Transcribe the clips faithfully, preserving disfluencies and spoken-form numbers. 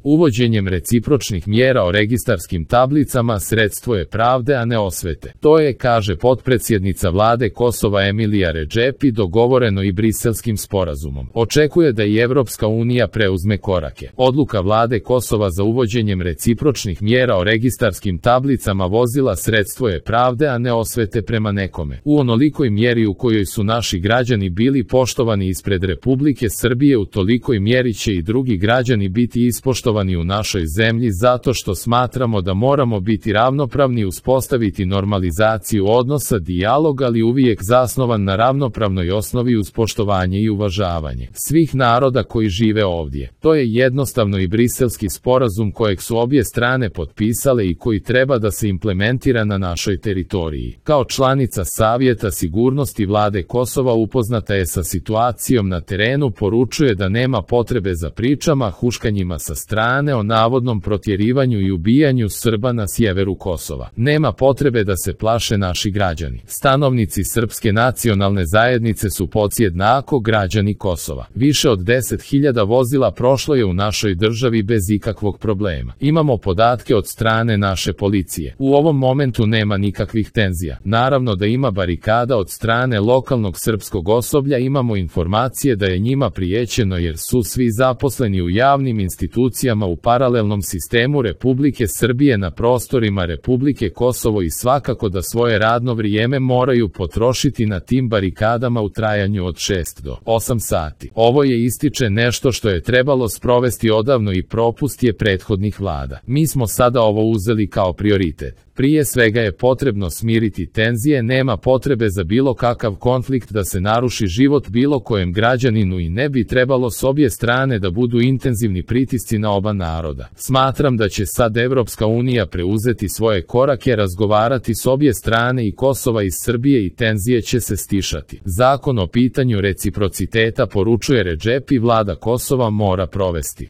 Uvođenjem recipročnih mjera o registarskim tablicama sredstvo je pravde, a ne osvete. To je, kaže potpredsjednica vlade Kosova Emilija Redžepi, dogovoreno i Briselskim sporazumom. Očekuje da i Evropska unija preuzme korake. Odluka vlade Kosova za uvođenjem recipročnih mjera o registarskim tablicama vozila sredstvo je pravde, a ne osvete prema nekome. U onolikoj mjeri u kojoj su naši građani bili poštovani ispred Republike Srbije, u tolikoj mjeri će i drugi građani biti ispoštovani u našoj zemlji, zato što smatramo da moramo biti ravnopravni, uspostaviti normalizaciju odnosa, dijalog, ali uvijek zasnovan na ravnopravnoj osnovi uz poštovanje i uvažavanje svih naroda koji žive ovdje. To je jednostavno i Briselski sporazum kojeg su obje strane potpisale i koji treba da se implementira na našoj teritoriji. Kao članica Savjeta sigurnosti vlade Kosova upoznata je sa situacijom na terenu, poručuje da nema potrebe za pričama, huškanjima sa strane o navodnom protjerivanju i ubijanju Srba na sjeveru Kosova. Nema potrebe da se plaše naši građani. Stanovnici srpske nacionalne zajednice su podjednako građani Kosova. Više od deset hiljada vozila prošlo je u našoj državi bez ikakvog problema. Imamo podatke od strane naše policije. U ovom momentu nema nikakvih tenzija. Naravno da ima barikada od strane lokalnog srpskog osoblja, imamo informacije da je njima prijećeno jer su svi zaposleni u javnim institucijama u paralelnom sistemu Republike Srbije na prostorima Republike Kosovo i svakako da svoje radno vrijeme moraju potrošiti na tim barikadama u trajanju od šest do osam sati. Ovo je, ističe, nešto što je trebalo sprovesti odavno i propust je prethodnih vlada. Mi smo sada ovo uzeli kao prioritet. Prije svega je potrebno smiriti tenzije, nema potrebe za bilo kakav konflikt da se naruši život bilo kojem građaninu i ne bi trebalo s obje strane da budu intenzivni pritisci na oba naroda. Smatram da će sad Evropska unija preuzeti svoje korake, razgovarati s obje strane i Kosova i Srbije i tenzije će se stišati. Zakon o pitanju reciprociteta, poručuje Redžepi, vlada Kosova mora provesti.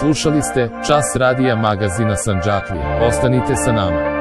Slušali ste Čas radija magazina Sandžaklije. Ostanite sa nama.